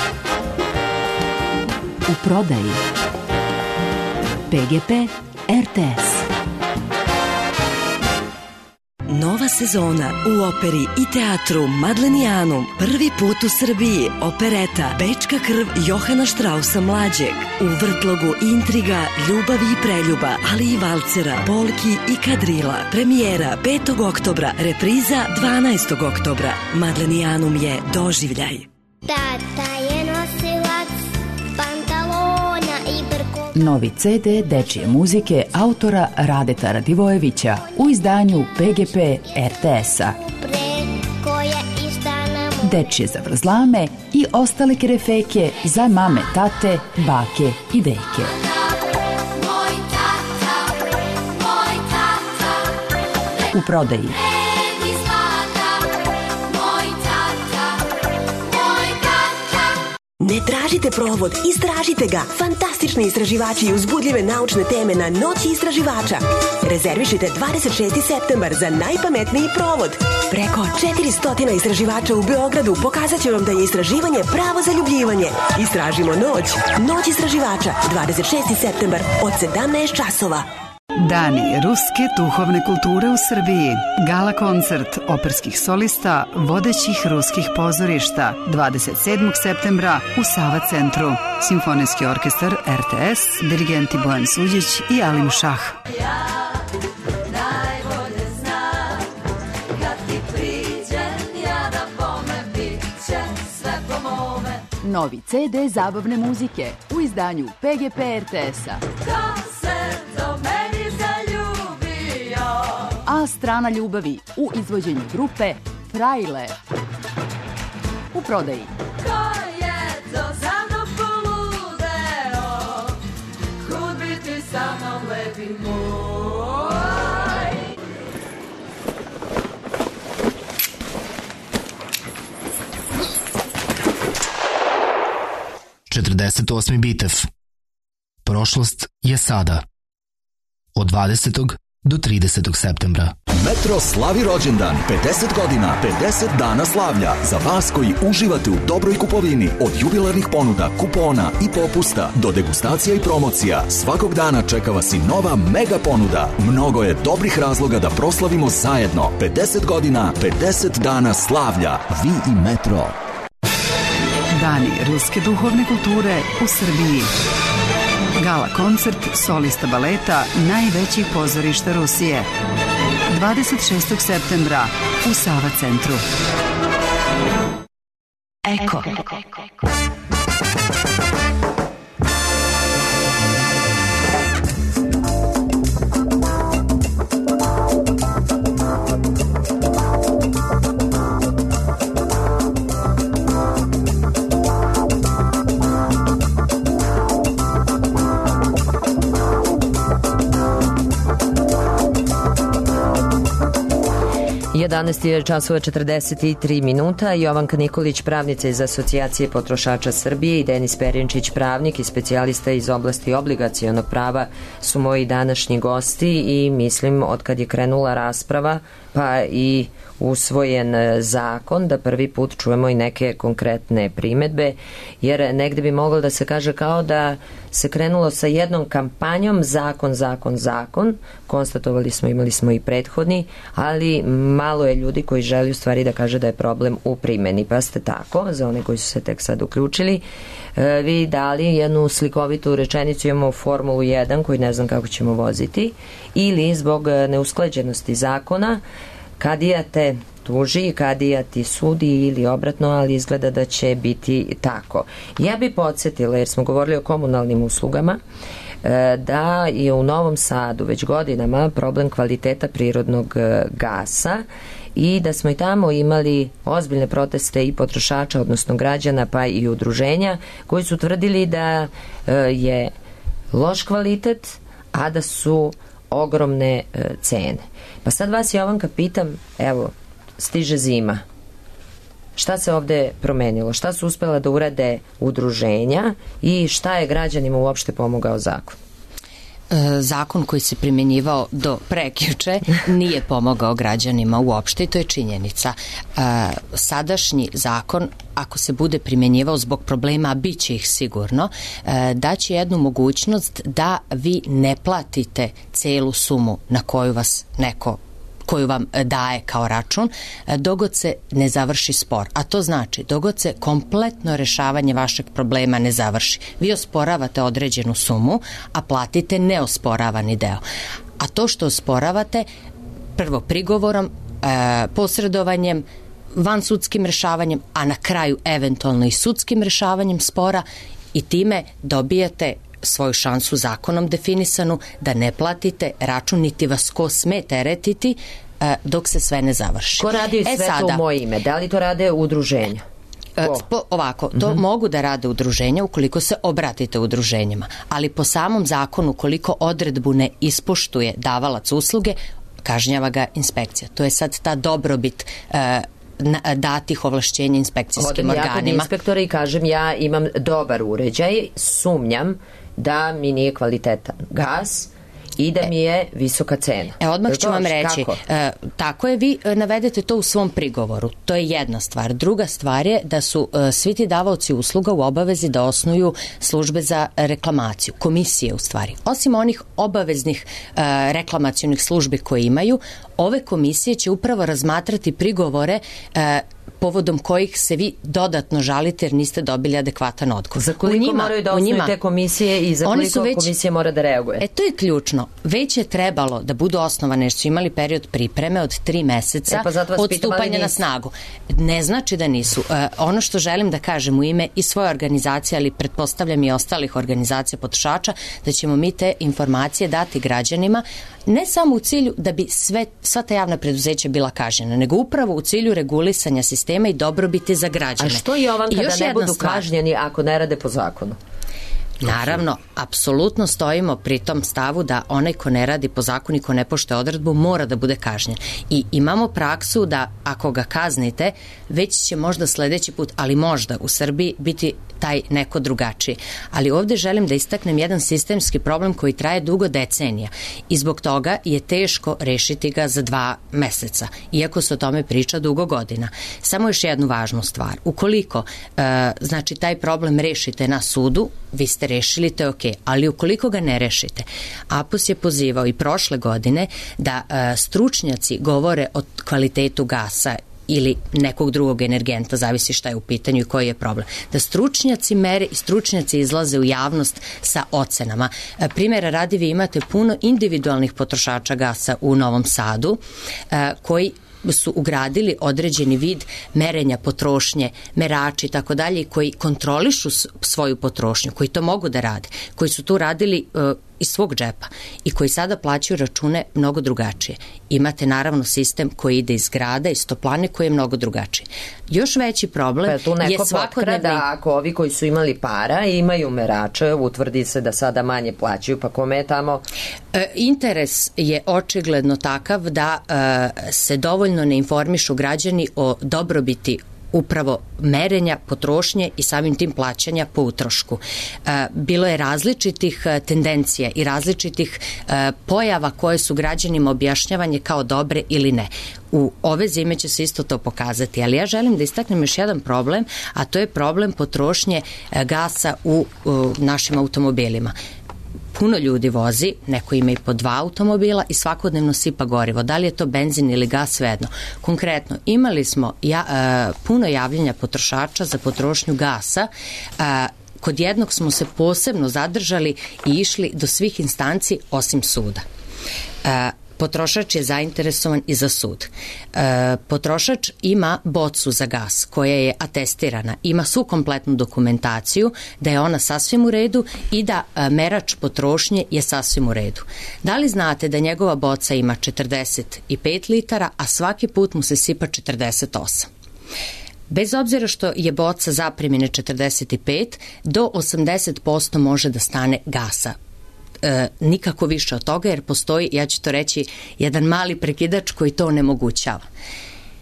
U prodaji. P G P R T S. Nova sezona u operi i teatru Madlenijanum. Prvi put u Srbiji opereta Bečka krv Johana Štrausa mlađeg. U vrtlogu intriga, ljubavi i preljuba, ali i valcera, polki i kadrila. Premijera petog oktobra, repriza dvanaestog oktobra. Madlenijanum je doživljaj. Tata je nosilac pantalona i brko. Novi C D dečije muzike autora Radeta Radivojevića u izdanju P G P R T S-a. Dečije zavrzlame i ostale kerefeke za mame, tate, bake i deke. U prodaji. Ne tražite provod, istražite ga. Fantastični istraživači i uzbudljive naučne teme na Noći istraživača. Rezervišite dvadeset šesti septembar za najpametniji provod. Preko četiristo istraživača u Beogradu pokazat će vam da je istraživanje pravo zaljubljivanje. Istražimo noć. Noć istraživača, dvadeset šesti septembar od sedamnaest časova. Dani ruske duhovne kulture u Srbiji. Gala koncert operskih solista vodećih ruskih pozorišta dvadeset sedmog septembra u Sava centru. Simfonijski orkestar R T S, dirigenti Bojan Suđić i Alim Šah. Novi C D zabavne muzike u izdanju P G P R T S-a. A strana ljubavi u izvođenju grupe Frajle. U prodaji. Ko je to za mnom poludeo, kud biti sa mnom lepi moj. četrdeset osmi bitev. Prošlost je sada. Od dvadesetog do tridesetog septembra. Metro slavi rođendan, pedeset godina, pedeset dana slavlja. Za vas koji uživate u dobroj kupovini, od jubilarnih ponuda, kupona i popusta do degustacija i promocija, svakog dana čeka vas i nova mega ponuda. Mnogo je dobrih razloga da proslavimo zajedno. pedeset godina, pedeset dana slavlja. Vi i Metro. Dani ruske duhovne kulture u Srbiji. Gala koncert solista baleta najvećih pozorišta Rusije. dvadeset šestog septembra u Sava centru. Eko. jedanaest je časova četrdeset tri minuta. Jovanka Nikolić, pravnica iz Asocijacije potrošača Srbije, i Denis Perinčić, pravnik i specijalista iz oblasti obligacionog prava, su moji današnji gosti i mislim od kad je krenula rasprava pa i usvojen zakon da prvi put čujemo i neke konkretne primetbe, jer negde bi moglo da se kaže kao da se krenulo sa jednom kampanjom zakon, zakon, zakon. Konstatovali smo, imali smo i prethodni, ali malo je ljudi koji želi u stvari da kaže da je problem u primjeni. Pa ste tako, za one koji su se tek sad uključili, vi dali jednu slikovitu rečenicu, imamo Formulu jedan koju ne znam kako ćemo voziti, ili zbog neusklađenosti zakona kadija te tuži, kadija ti sudi ili obratno, ali izgleda da će biti tako. Ja bi podsjetila, jer smo govorili o komunalnim uslugama, da je u Novom Sadu već godinama problem kvaliteta prirodnog gasa i da smo i tamo imali ozbiljne proteste i potrošača, odnosno građana, pa i udruženja, koji su tvrdili da je loš kvalitet, a da su ogromne cene. Pa sad vas, Jovanka, pitam, evo, stiže zima. Šta se ovde promenilo? Šta su uspela da urade udruženja i šta je građanima uopšte pomogao zakon? zakon koji se primjenjivao do prekjuče nije pomogao građanima uopšte i to je činjenica. Sadašnji zakon, ako se bude primjenjivao zbog problema, a bit će ih sigurno, daće jednu mogućnost da vi ne platite celu sumu na koju vas neko koju vam daje kao račun, dogod se ne završi spor. A to znači, dogod se kompletno rešavanje vašeg problema ne završi. Vi osporavate određenu sumu, a platite neosporavani deo. A to što osporavate, prvo prigovorom, posredovanjem, vansudskim rešavanjem, a na kraju eventualno i sudskim rešavanjem spora, i time dobijate svoju šansu zakonom definisanu da ne platite račun, niti vas ko sme teretiti dok se sve ne završi. Ko radi sve e, to u moje ime? Da li to rade udruženja? Po, ovako, to uh-huh. mogu da rade udruženja ukoliko se obratite udruženjima, ali po samom zakonu, koliko odredbu ne ispoštuje davalac usluge, kažnjava ga inspekcija. To je sad ta dobrobit uh, datih ovlašćenja inspekcijskim organima. organima. Odem ja kod inspektora i kažem ja imam dobar uređaj, sumnjam da mi nije kvalitetan gas i da mi je visoka cena. E, odmah ću vam reći, e, tako je, vi navedete to u svom prigovoru. To je jedna stvar. Druga stvar je da su e, svi ti davaoci usluga u obavezi da osnuju službe za reklamaciju, komisije u stvari. Osim onih obaveznih e, reklamacionih službi koje imaju, ove komisije će upravo razmatrati prigovore e, povodom kojih se vi dodatno žalite jer niste dobili adekvatan odgovor. Za koliko njima, moraju da osnuju te komisije i za koliko već, komisije mora da reaguje? E, to je ključno. Već je trebalo da budu osnovane jer su imali period pripreme od tri meseca e, pa od stupanja na snagu. Ne znači da nisu. E, ono što želim da kažem u ime i svoje organizacije, ali pretpostavljam i ostalih organizacija potrošača, da ćemo mi te informacije dati građanima, ne samo u cilju da bi sve, sva ta javna preduzeća bila kažnjena, nego upravo u cilju regulisanja sistema i dobrobiti za građane. A što je ovan kada ne budu kažnjeni ako ne rade po zakonu? Naravno, apsolutno stojimo pri tom stavu da onaj ko ne radi po zakonu i ko ne poštuje odredbu mora da bude kažnjen. I imamo praksu da ako ga kaznite, već će možda sledeći put, ali možda u Srbiji biti taj neko drugačiji. Ali ovde želim da istaknem jedan sistemski problem koji traje dugo decenija i zbog toga je teško rešiti ga za dva meseca, iako se o tome priča dugo godina. Samo još jednu važnu stvar. Ukoliko e, znači taj problem rešite na sudu, vi ste rešili, to je ok, ali ukoliko ga ne rešite, A P U S je pozivao i prošle godine da e, stručnjaci govore o kvalitetu gasa ili nekog drugog energenta, zavisi šta je u pitanju i koji je problem. Da stručnjaci mere i stručnjaci izlaze u javnost sa ocenama. E, primjera radi, vi imate puno individualnih potrošača gasa u Novom Sadu e, koji su ugradili određeni vid merenja potrošnje, merači i tako dalje, koji kontrolišu svoju potrošnju, koji to mogu da rade, koji su tu radili uh, iz svog džepa i koji sada plaćaju račune mnogo drugačije. Imate naravno sistem koji ide iz grada, iz toplane, koji je mnogo drugačiji. Još veći problem pa tu neko je svakodnevni... da ako ovi koji su imali para imaju merače, utvrdi se da sada manje plaćaju, pa kome je tamo? E, interes je očigledno takav da e, se dovoljno ne informišu građani o dobrobiti upravo merenja, potrošnje i samim tim plaćanja po utrošku. E, bilo je različitih tendencija i različitih e, pojava koje su građanima objašnjavanje kao dobre ili ne. U ove zime će se isto to pokazati, ali ja želim da istaknem još jedan problem, a to je problem potrošnje e, gasa u, u našim automobilima. Puno ljudi vozi, neko ima i po dva automobila i svakodnevno sipa gorivo. Da li je to benzin ili gas, svejedno. Konkretno, imali smo ja, uh, puno javljanja potrošača za potrošnju gasa. Uh, kod jednog smo se posebno zadržali i išli do svih instanci osim suda. Uh, Potrošač je zainteresovan i za sud. E, potrošač ima bocu za gas koja je atestirana, ima svu kompletnu dokumentaciju da je ona sasvim u redu i da e, merač potrošnje je sasvim u redu. Da li znate da njegova boca ima četrdeset pet litara, a svaki put mu se sipa četrdeset osam? Bez obzira što je boca zapremine četrdeset pet, do osamdeset posto može da stane gasa. E, nikako više od toga jer postoji, ja ću to reći, jedan mali prekidač koji to onemogućava.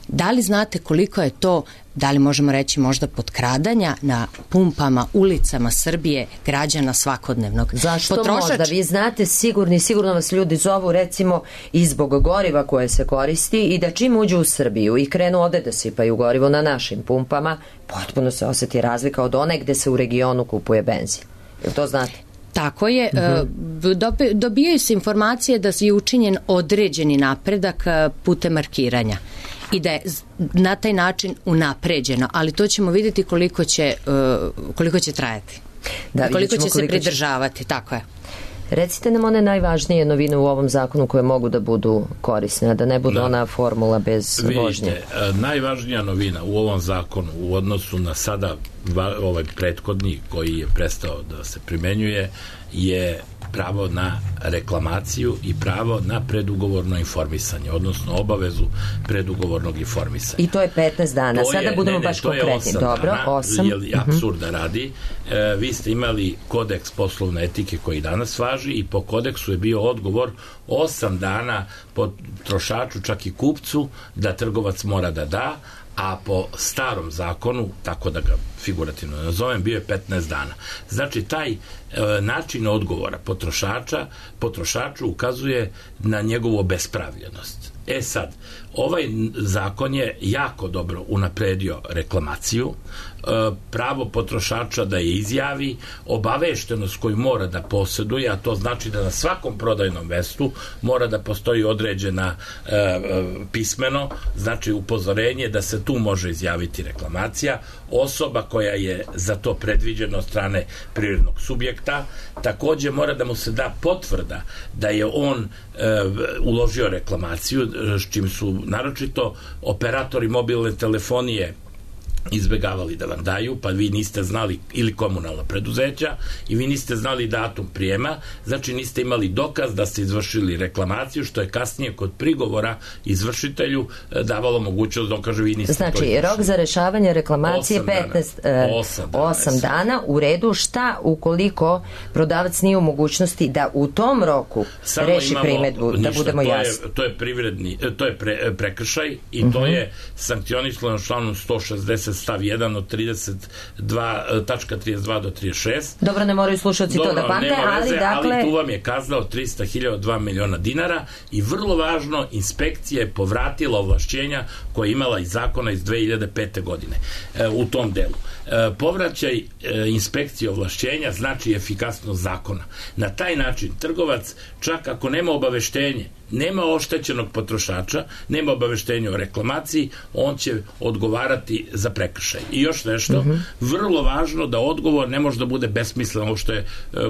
Da li znate koliko je to da li možemo reći možda potkradanja na pumpama, ulicama Srbije građana svakodnevnog. Zašto možda? Vi znate sigurni, sigurno vas ljudi zovu recimo i zbog goriva koje se koristi i da čim uđu u Srbiju i krenu ovde da sipaju gorivo na našim pumpama, potpuno se osjeti razlika od one gde se u regionu kupuje benzin. Jel to znate? Tako je. Uh-huh. Dobijaju se informacije da je učinjen određeni napredak putem markiranja i da je na taj način unapređeno, ali to ćemo vidjeti koliko će, koliko će trajati. Da, koliko će se pridržavati, će... tako je. Recite nam one najvažnije novine u ovom zakonu koje mogu da budu korisne, a da ne bude da. ona formula bez Vidite, vožnje. Vidite, najvažnija novina u ovom zakonu u odnosu na sada ovaj prethodni koji je prestao da se primenjuje je pravo na reklamaciju i pravo na predugovorno informisanje, odnosno obavezu predugovornog informisanja. I to je petnaest dana. To Sada je, budemo ne, ne, baš konkretni. Dobro, dana, osam. Jer je apsurda radi. E, vi ste imali kodeks poslovne etike koji danas važi i po kodeksu je bio odgovor osam dana potrošaču, čak i kupcu, da trgovac mora da da, a po starom zakonu, tako da ga figurativno nazovem, bio je petnaest dana. Znači, taj e, način odgovora potrošača, potrošaču ukazuje na njegovu obespravljenost. E sad, ovaj zakon je jako dobro unapredio reklamaciju, pravo potrošača da je izjavi, obaveštenost koju mora da posjeduje, a to znači da na svakom prodajnom mestu mora da postoji određena e, pismeno, znači upozorenje da se tu može izjaviti reklamacija, osoba koja je za to predviđena od strane privrednog subjekta, takođe mora da mu se da potvrda da je on e, uložio reklamaciju, s čim su naročito operatori mobilne telefonije izbegavali da vam daju, pa vi niste znali, ili komunalna preduzeća, i vi niste znali datum prijema, znači niste imali dokaz da ste izvršili reklamaciju, što je kasnije kod prigovora izvršitelju davalo mogućnost da on kaže vi niste znači, to izvršili. Rok za rešavanje reklamacije petnaest, osam dana, u redu. Šta ukoliko prodavac nije u mogućnosti da u tom roku samo reši primedbu, da budemo to jasni? Je, to je privredni, to je pre, prekršaj i uh-huh. to je sankcionisano članom sto šezdeset stav jedan od trideset dva tačka trideset dva do trideset šest. Dobro, ne moraju slušalci to da pamte, ali dakle... ali tu vam je kazna od trista hiljada dva miliona dinara i vrlo važno, inspekcija je povratila ovlašćenja koje je imala iz zakona iz dve hiljade pete godine e, u tom delu. E, povraćaj e, inspekcije ovlašćenja znači efikasnost zakona. Na taj način trgovac, čak ako nema obaveštenje, nema oštećenog potrošača, nema obaveštenja o reklamaciji, on će odgovarati za prekršaj. I još nešto, mm-hmm. vrlo važno da odgovor ne može da bude besmislen, ovo što je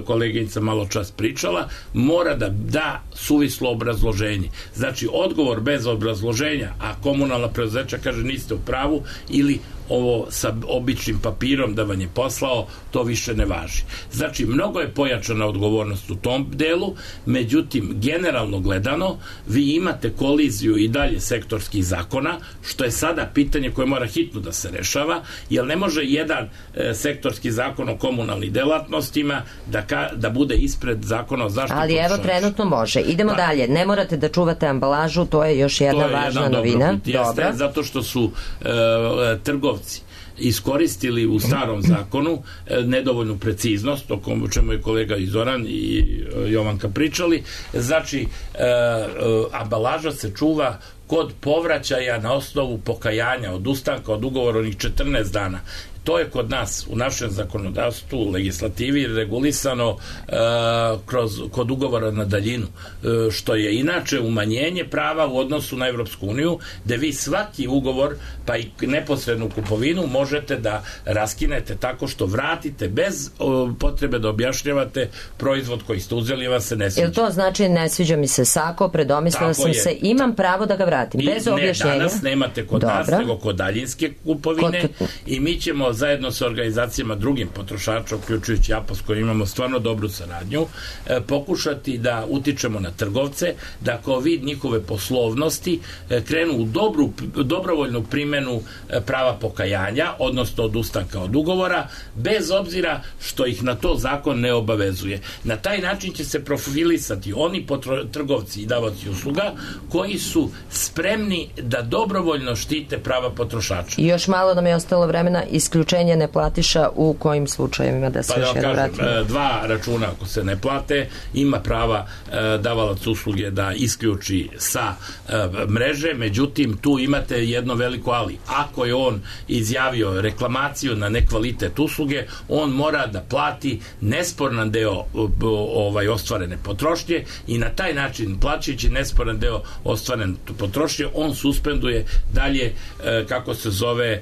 koleginica malo čas pričala, mora da da suvislo obrazloženje. Znači, odgovor bez obrazloženja, a komunalna preduzeća kaže niste u pravu, ili ovo sa običnim papirom da vam je poslao, to više ne važi. Znači, mnogo je pojačana odgovornost u tom delu, međutim, generalno gledano, vi imate koliziju i dalje sektorskih zakona, što je sada pitanje koje mora hitno da se rešava, jer ne može jedan e, sektorski zakon o komunalnim delatnostima da, ka, da bude ispred zakona o zaštiti ali potrošača. Evo, trenutno može. Idemo pa, dalje. Ne morate da čuvate ambalažu, to je još jedna je važna jedan novina. Dobro, jeste, zato što su e, trgovci iskoristili u starom zakonu e, nedovoljnu preciznost, o čemu je kolega i Zoran i e, Jovanka pričali. Znači, e, e, ambalaža se čuva kod povraćaja na osnovu pokajanja, od ustanka od ugovora onih četrnaest dana. To je kod nas u našem zakonodavstvu, legislativi regulisano e, kroz, kod ugovora na daljinu, e, što je inače umanjenje prava u odnosu na Evropsku uniju, gde vi svaki ugovor, pa i neposrednu kupovinu, možete da raskinete tako što vratite bez o, potrebe da objašnjavate proizvod koji ste uzeli, vam se ne sviđa. Jel to znači ne sviđa mi se sako, predomislila sam je. se, imam pravo da ga vratim, I, bez objašnjenja? Ne, danas nemate kod Dobro. nas, nego kod daljinske kupovine kod... i mi ćemo zajedno sa organizacijama drugim potrošača, uključujući A P O S, koji imamo stvarno dobru saradnju, e, pokušati da utičemo na trgovce, da kao vid njihove poslovnosti e, krenu u dobru, dobrovoljnu primjenu e, prava pokajanja, odnosno odustanka od ugovora, bez obzira što ih na to zakon ne obavezuje. Na taj način će se profilisati oni potro, trgovci i davaoci usluga koji su spremni da dobrovoljno štite prava potrošača. I još malo nam je ostalo vremena, isključenje neplatiša u kojim slučajevima, da se pa još da jedno kažem, vratimo. Dva računa ako se ne plate, ima prava e, davalac usluge da isključi sa e, mreže, međutim tu imate jedno veliko ali. Ako je on izjavio reklamaciju na nekvalitet usluge, on mora da plati nesporan deo ovaj ostvarene potrošnje i na taj način, plaćajući nesporan deo ostvarene potrošnje, on suspenduje dalje, e, kako se zove, e,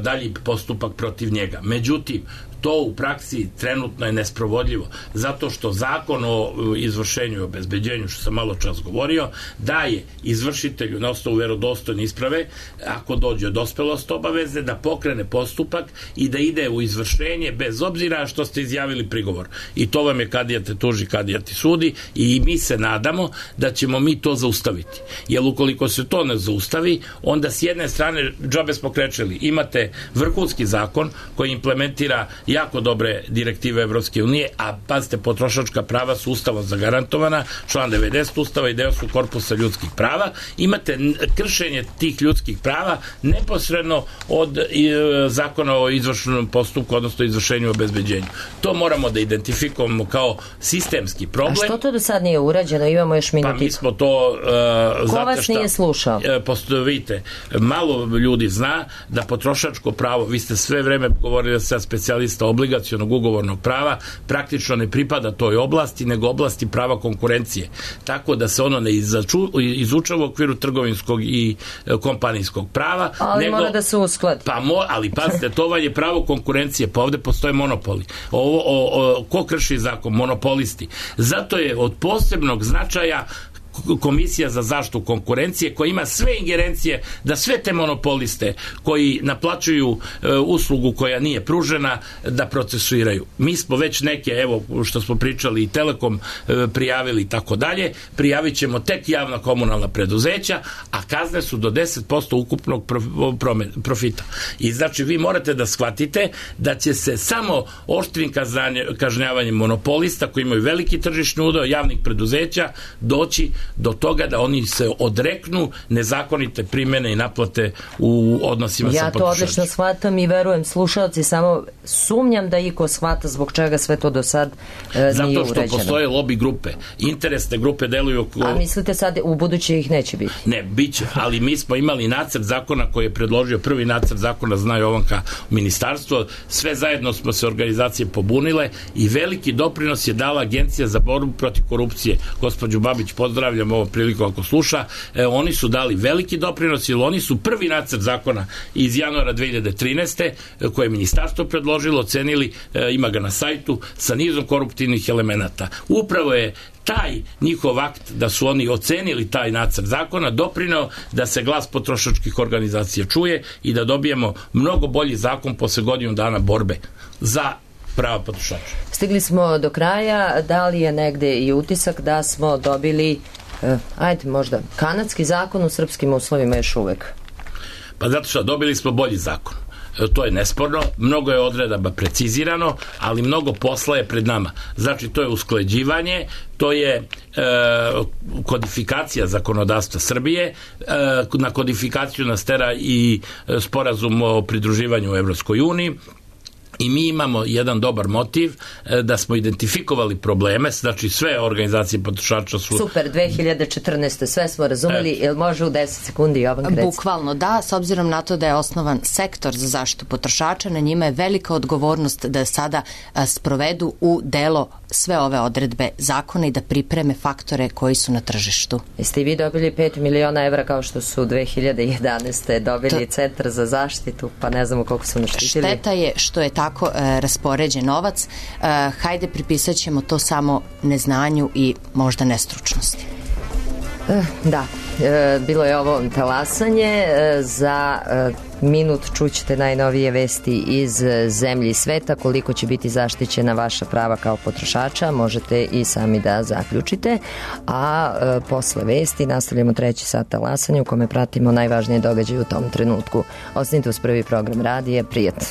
dalji postupak protiv njega. Međutim, to u praksi trenutno je nesprovodljivo, zato što zakon o izvršenju i obezbeđenju, što sam malo čas govorio, daje izvršitelju na osnovu verodostojne isprave, ako dođe od dospelost obaveze, da pokrene postupak i da ide u izvršenje bez obzira što ste izjavili prigovor. I to vam je kadija te tuži, kadija ti sudi, i mi se nadamo da ćemo mi to zaustaviti. Jer ukoliko se to ne zaustavi, onda s jedne strane, džabe smo krečili, imate vrhunski zakon koji implementira jako dobre direktive Evropske unije, a pazite, potrošačka prava su ustavom zagarantovana, član devedeset Ustava i deo su korpusa ljudskih prava. Imate kršenje tih ljudskih prava neposredno od e, zakona o izvršenom postupku, odnosno izvršenju i obezbeđenju. To moramo da identifikujemo kao sistemski problem. A što to do sad nije urađeno? Imamo još minutiku. Pa mi smo to... E, Ko vas nije slušao? E, vidite, malo ljudi zna da potrošačko pravo, vi ste sve vreme govorili sa specijalista obligacionog ugovornog prava, praktično ne pripada toj oblasti, nego oblasti prava konkurencije. Tako da se ono ne izaču, izučava u okviru trgovinskog i e, kompanijskog prava. Ali nego, mora da se uskladi. Pa mo, ali pazite, to vam je pravo konkurencije, pa ovde postoje monopoli. Ovo, o, o, ko krši zakon? Monopolisti. Zato je od posebnog značaja Komisija za zaštitu konkurencije, koja ima sve ingerencije da sve te monopoliste koji naplaćuju e, uslugu koja nije pružena, da procesuiraju. Mi smo već neke, evo što smo pričali, i Telekom e, prijavili i tako dalje, prijavit ćemo tek javna komunalna preduzeća, a kazne su do deset posto ukupnog profita. I znači vi morate da shvatite da će se samo oštrim kažnjavanjem monopolista koji imaju veliki tržišni udeo javnih preduzeća doći do toga da oni se odreknu nezakonite primjene i naplate u odnosima ja sa potrošačima. Ja to odlično shvatam i verujem slušalci, samo sumnjam da iko shvata zbog čega sve to do sad e, nije uređeno. Zato što postoje lobby grupe, interesne grupe deluju oko... A mislite sad u buduće ih neće biti? Ne, bit će, ali mi smo imali nacrt zakona koji je predložio, prvi nacrt zakona, zna Jovanka, ministarstvo, sve zajedno smo se organizacije pobunile i veliki doprinos je dala Agencija za borbu protiv korupcije. Gospođu Babić pozdravljam ovom priliku ako sluša, e, oni su dali veliki doprinos, jer oni su prvi nacrt zakona iz januara dve hiljade trinaeste koje je ministarstvo predložilo, ocenili, e, ima ga na sajtu, sa nizom koruptivnih elemenata. Upravo je taj njihov akt da su oni ocenili taj nacrt zakona doprineo da se glas potrošačkih organizacija čuje i da dobijemo mnogo bolji zakon posle godinu dana borbe za prava potrošača. Stigli smo do kraja, da li je negde i utisak da smo dobili Uh, ajde možda, kanadski zakon u srpskim uslovima još uvek? Pa zato što dobili smo bolji zakon. E, to je nesporno, mnogo je odredaba precizirano, ali mnogo posla je pred nama. Znači, to je usklađivanje, to je e, kodifikacija zakonodavstva Srbije, e, na kodifikaciju nas tera i sporazum o pridruživanju u Evropskoj uniji. I mi imamo jedan dobar motiv da smo identifikovali probleme, znači sve organizacije potrošača su... Super, dve hiljade četrnaeste sve smo razumeli, e. Jel može u deset sekundi Jovan Krec? Bukvalno da, s obzirom na to da je osnovan sektor za zaštitu potrošača, na njima je velika odgovornost da sada a, sprovedu u delo sve ove odredbe zakona i da pripreme faktore koji su na tržištu. Jeste i vi dobili pet miliona evra kao što su dve hiljade jedanaeste dobili to... Centar za zaštitu, pa ne znamo koliko su naštitili. Šteta je što je tako e, raspoređen novac. E, hajde pripisat ćemo to samo neznanju i možda nestručnosti. Da, bilo je ovo talasanje. Za minut čućete najnovije vesti iz zemlje i sveta. Koliko će biti zaštićena vaša prava kao potrošača možete i sami da zaključite. A posle vesti nastavljamo treći sat talasanja u kome pratimo najvažnije događaje u tom trenutku. Ostanite uz prvi program radija. Prijatno.